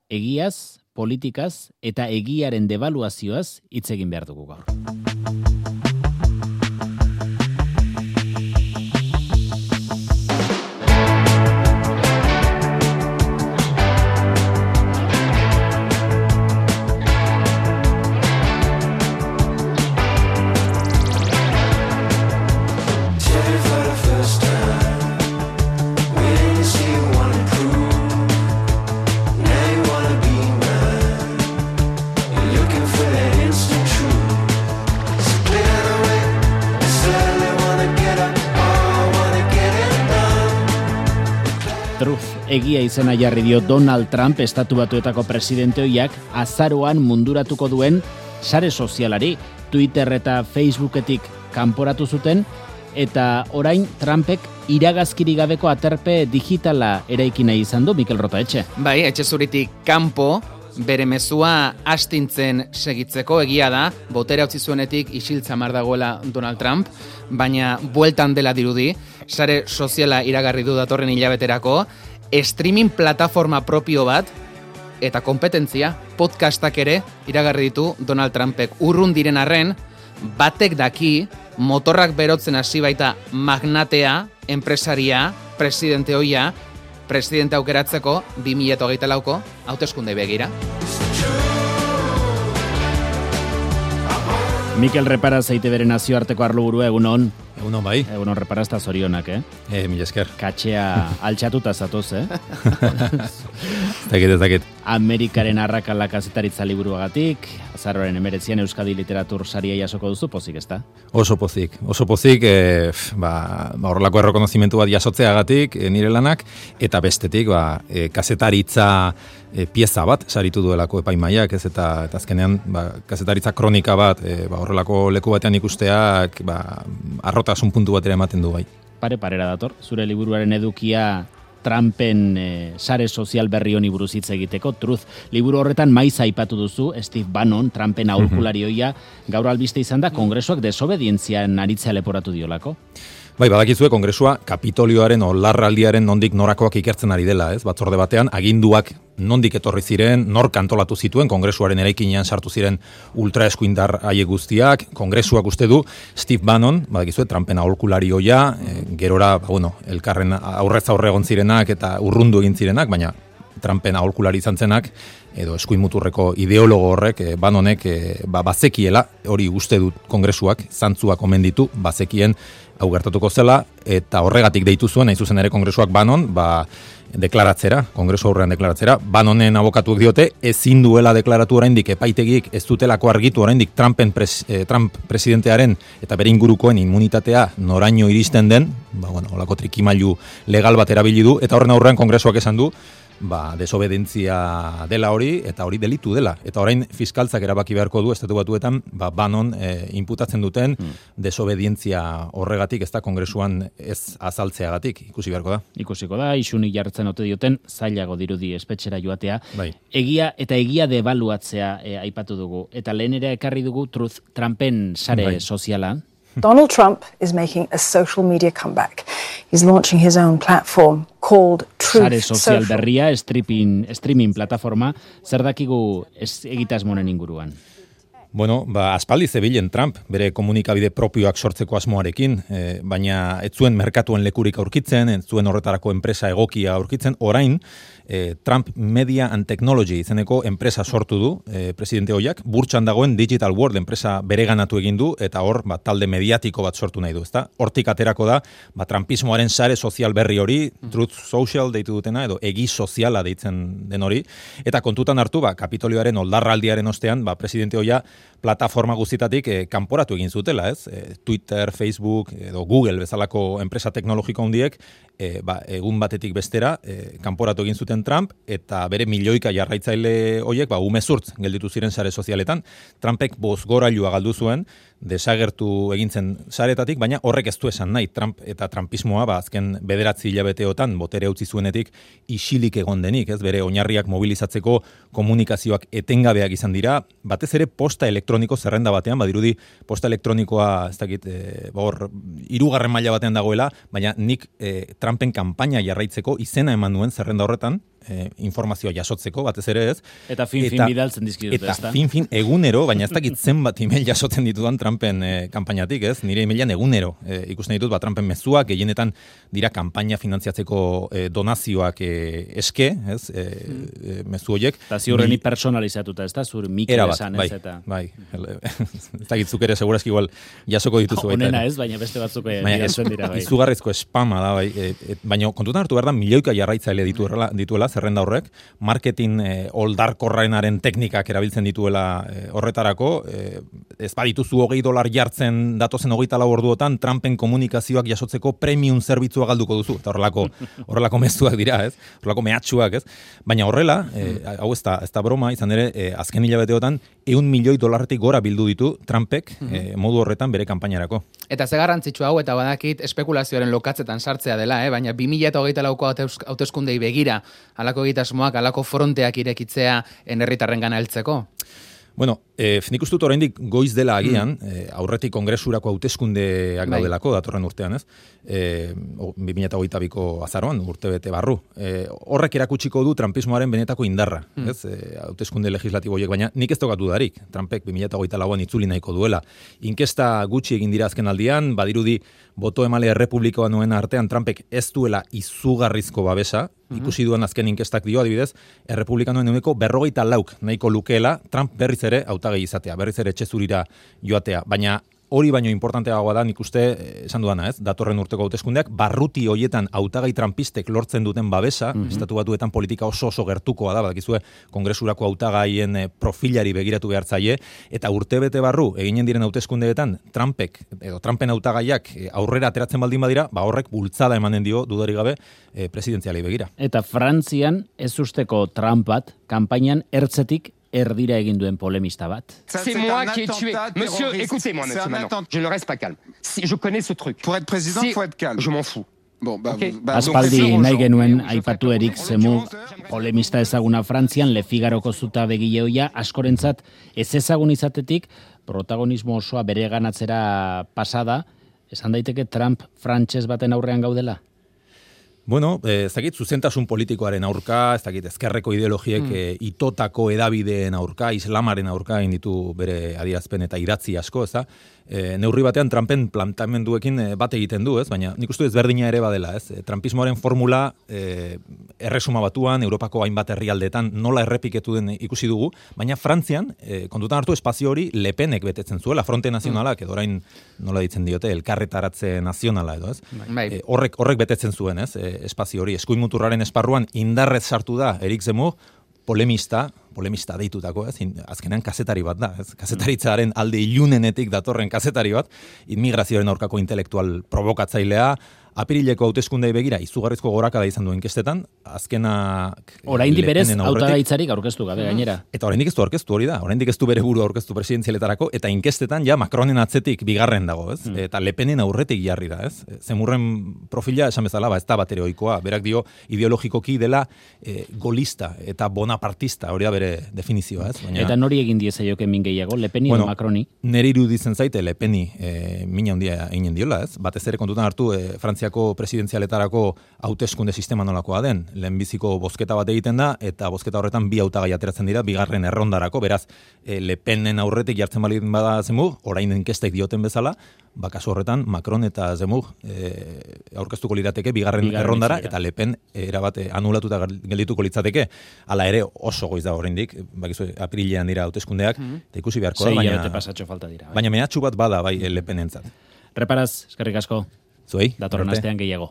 egiaz, politikaz eta egiaren debaluazioaz hitz egin behar dugu gaur. Egia izena jarri dio Donald Trump Estatu Batuetako presidente ohiak azaroan munduratuko duen sare sozialari Twitter eta Facebooketik kanporatu zuten eta orain Trumpek iragazkiri gabeko aterpe digitala eraiki nahi izan du Mikel Rotaetxe. Bai, etxe zuritik kanpo bere mezua astintzen segitzeko egia da, botere utzi zuenetik isiltzamar dagoela Donald Trump, baina bueltan dela dirudi, sare soziala iragarri du datorren hilabeterako, streaming plataforma propio bat eta kompetentzia, podcastak ere iragarri ditu Donald Trumpek. Urrun diren arren, batek daki, motorrak berotzen hasi baita magnatea, enpresaria, presidente ohia, presidente aukeratzeko 2024ko hauteskunde begira. Mikel Reparaz EITB nazioarteko arloburua, egunon. Egunon bai. Egunon Reparazta zorionak, Mila esker. Katxea altxatuta zatoz, Ez dakit. Amerikaren arrakala kazetaritza liburuagatik, azaroaren 19 Euskadi Literatur saria jasoko duzu, pozik, ezta? Oso pozik, horrelako errekonozimentu bat jasotzeagatik nire lanak, eta bestetik kazetaritza pieza bat saritu duelako epaimaiak, ez eta azkenean kazetaritza kronika bat horrelako leku batean ikusteak arrotasun puntu batera ematen du bai. Parera dator, zure liburuaren edukia Trumpen sare sozial berri honi buruz hitz egiteko, Truth. Liburu horretan maiz aipatu duzu, Steve Bannon, Trumpen aholkularioia, gaur albiste izan da, Kongresuak desobedientzian aritzea leporatu diolako. Bai, badakizue Kongresua Kapitolioaren larraldiaren nondik norakoak ikertzen ari dela, ez? Batzorde batean aginduak nondik etorri ziren, nork antolatu zituen, Kongresuaren eraikinean sartu ziren ultraeskuindar haiek guztiak, Kongresuak uste du Steve Bannon, badakizue Trumpen aholkularioia, gerora, elkarren aurrez aurre egon zirenak eta urrundu egin zirenak, baina Trumpen aholkulari izan zenak, edo eskuin muturreko ideologo horrek, Bannonek bazekiela, hori uste dut Kongresuak, zantzuak omen ditu, bazekien hau gertatuko zela, eta horregatik deitu zuen, hain zuzen ere Kongresuak Bannon, deklaratzera, Kongresu aurrean deklaratzera, Bannonen abokatuek diote, ezin duela deklaratu oraindik epaitegik, ez dutelako argitu oraindik Trump presidentearen eta bere ingurukoen immunitatea noraino iristen den, holako trikimailu legal bat erabili du, eta horren aurrean Kongresuak esan du, desobedentzia dela hori, eta hori delitu dela. Eta orain fiskaltzak erabaki beharko du, Estatu Batuetan, Bannon inputatzen duten desobedientzia horregatik, ez da Kongresuan ez azaltzeagatik, ikusi beharko da. Ikusiko da, isunik jartzen ote dioten, zailago dirudi espetxera joatea. Bai. Egia eta egia debaluatzea aipatu dugu. Eta lehen ere ekarri dugu Trumpen sare soziala. Donald Trump is making a social media comeback. He's launching his own platform called Truth Sare sozial berria, streaming plataforma, zer dakigu egitasmoren inguruan? Aspaldi zebilen Trump, bere komunikabide propioak sortzeko asmoarekin, baina ez zuen merkatuen lekurik aurkitzen, ez zuen horretarako enpresa egokia aurkitzen, orain, Trump Media and Technology izeneko enpresa sortu du, presidente hoiak, burtsan dagoen Digital World enpresa bereganatu egin du, eta hor, talde mediatiko bat sortu nahi du, ezta? Hortik aterako da, Trumpismoaren sare sozial berri hori, Truth Social deitu dutena, edo egi soziala deitzen den hori, eta kontutan hartu, Kapitolioaren oldarraldiaren ostean, presidente hoia plataforma guztietatik kanporatu egin zutela, ez? Twitter, Facebook, edo Google bezalako enpresa teknologiko handiek, egun batetik bestera, kanporatu egin zuten Trump, eta bere milioika jarraitzaile horiek, umezurtz gelditu ziren sare sozialetan. Trumpek bozgorailua galdu zuen, desagertu egintzen saretatik, baina horrek ez du esan nahi, Trump eta Trumpismoa, azken 9 hilabeteotan botere utzi zuenetik isilik egon denik, ez? Bere oinarriak mobilizatzeko komunikazioak etengabeak izan dira, batez ere posta elektroniko zerrenda batean, badirudi posta elektronikoa, ez dakit, hor, 3. maila batean dagoela, baina nik Trumpen kanpaina jarraitzeko izena eman duen zerrenda horretan, informazioa jasotzeko, batez ere ez. Eta fin bidaltzen dizkidute, eta ezta? fin egunero, baina ez dakit zenbat email jasotzen ditudan Trumpen kanpainatik, ez? Nire emailan egunero ikusten ditut, Trumpen mezuak, gehienetan dira kanpaina finantziatzeko donazioak eske, ez? Mezu horiek. Eta ziurreni personalizatuta, ez da? Zur Mikel esan, ez? Eta... Bai, ez dakit zuk ere segurazki igual jasoko dituzu. Honena ez, baina beste batzuk bidaltzen dira, bai. Izugarrizko spama da, bai. Baina kontutan hartu behar da, milioika jarraitzaile dituela, zerrenda horrek, marketing oldarkorraenaren teknikak erabiltzen dituela horretarako, ez badituzu $20 jartzen datozen 24 orduotan, Trumpen komunikazioak jasotzeko premium zerbitzua galduko duzu, eta horrelako mezuak dira, ez? Horrelako mehatxuak, ez? Baina horrela, hau ez da broma, izan ere, azken hilabeteotan, $100 milioi gora bildu ditu Trumpek modu horretan bere kanpainarako. Eta ze garrantzitsu hau, eta badakit espekulazioaren lokatzetan sartzea dela, baina 2024ko hauteskundei begira, halako egitasmoak, halako fronteak irekitzea herritarrengana heltzeko? Bueno, nik uste dut oraindik goiz dela agian, aurretik kongresurako hauteskundeak daudelako, datorren urtean, ez? 2022ko azaroan, urte bete barru. Horrek erakutsiko du trumpismoaren benetako indarra, ez? Hauteskunde legislatibo horiek, baina nik ez tokatu darik. Trumpek 2024an itzuli nahiko duela. Inkesta gutxi egin dira azken aldian, badirudi boto emale errepublikoa nuen artean Trumpek ez duela izugarrizko babesa, ikusi duen azken inkestak dio, adibidez, errepublikanoen euneko 54 nahiko lukeela, Trump berriz ere hautagai izatea, berriz ere etxezurira joatea, baina hori baino importanteagoa da, nik uste, esan dudana, ez, datorren urteko hauteskundeak, barruti hoietan hautagai trumpistek lortzen duten babesa, estatu batuetan politika oso gertukoa da, badakizue, kongresurako hautagaien profilari begiratu behartzaile, eta urtebete barru, eginen diren hauteskundeetan, Trumpen hautagaiak aurrera ateratzen baldin badira, horrek bultzada emanen dio, dudarik gabe, presidentzialei begira. Eta Frantzian, ez usteko Trump bat, kanpainan ertzetik erdira egin duen polemista bat. C'est moi qui ai tué. Monsieur, écoutez-moi, monsieur, maintenant. Je ne reste pas calme. Si je connais ce truc. Pour être président, il faut être calme. Je m'en fous. Aspaldi nahi genuen aipatu Erik Zemmour, polemista ezaguna Frantzian, Le Figaroko zuta begileoia, askorentzat ez ezagun izatetik, protagonismo osoa bere ganatzera pasada, esan daiteke Trump frantses baten aurrean gaudela? Bueno, ez dakit zuzentasun politikoaren aurka, ez dakit ezkerreko ideologiek itotako edabideen aurka, islamaren aurka egin ditu bere adierazpen eta idatzi asko, ez da? Neurri batean Trumpen plantamenduekin bat egiten du, ez? Baina nik uste ezberdina ere badela, ez? Trumpismoaren formula erresuma batuan, Europako hainbat herrialdetan nola errepiketu den ikusi dugu, baina Frantzian, kontutan hartu espazio hori Le Penek betetzen zuela, Fronte Nazionalak, edo orain nola ditzen diote, elkarretaratze nazionala edo, ez? Horrek betetzen zuen, ez? Espazio hori, eskuin muturraren esparruan indarrez sartu da Erik Zemmour, polemista deitutako, ez? Azkenean kazetari bat da, ez? Kazetaritzaren alde ilunenetik datorren kazetari bat, immigrazioaren aurkako intelektual provokatzailea, apirileko hauteskundei begira izugarrizko gorakada izan du inkestetan, azkenak oraindik berez hautagaitzarik aurkeztu gabe gainera. Eta oraindik ez du aurkeztu hori da, oraindik ez du bere burua aurkeztu presidentzialetarako, eta inkestetan ja Macronen atzetik bigarren dago, ez? Eta Le Penen aurretik jarri da, ez? Zemurren profila esan bezala, ez da batere ohikoa, berak dio ideologikoki dela golista eta bonapartista, hori da bere definizioa, ez? Baina... Eta nori egin diezaioke min gehiago, Le Peni edo Macroni? Neri iruditzen zaite Le Peni mina handia eginen diola, ez? Batez ere kontutan hartu Frantziako presidentzialetarako hauteskunde sistema nolakoa den. Lehenbiziko bozketa bat egiten da, eta bozketa horretan bi hautagai ateratzen dira, bigarren errondarako, beraz, Le Penen aurretik jartzen balin bada Zemmour, orain inkestek dioten bezala, kasu horretan Macron eta Zemmour aurkeztuko lirateke bigarren errondara, eta Le Pen erabat anulatuta geldituko litzateke. Hala ere oso goiz da oraindik, bakizu apirilean dira hauteskundeak, eta ikusi beharko da, baina mehatxu bat bada bai Le Penentzat. Reparaz, eskerrik asko. Zuei, datorren astean gehiago.